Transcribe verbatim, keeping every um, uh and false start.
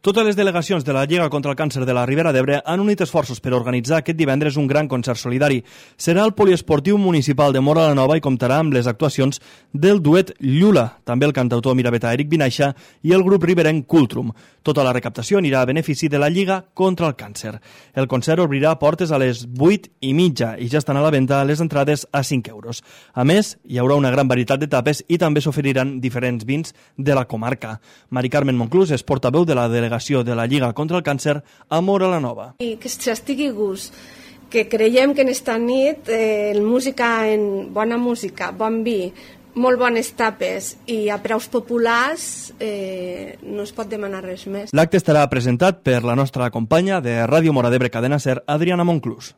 Totes les delegacions de la Lliga contra el Càncer de la Ribera d'Ebre han unit esforços per organitzar aquest divendres un gran concert solidari. Serà al Poliesportiu Municipal de Móra la Nova i comptarà amb les actuacions del duet Llula, també el cantautor miravetà Eric Vinaixa i el grup riberenc Cultrum. Tota la recaptació anirà a benefici de la Lliga contra el Càncer. El concert obrirà portes a les vuit i mitja i ja estan a la venda les entrades a cinc euros. A més, hi haurà una gran varietat de tapes i també s'oferiran diferents vins de la comarca. Mari Carmen Monclús és portaveu de la delegació de la Lliga contra el Càncer a Móra la Nova. I que s'estigui gust, que creiem que en esta nit eh, el música, en bona música, bon vi, molt bones tapes i a preus populars eh, no es pot demanar res més. L'acte estarà presentat per la nostra companya de Ràdio Móra d'Ebre Cadena Ser, Adriana Monclús.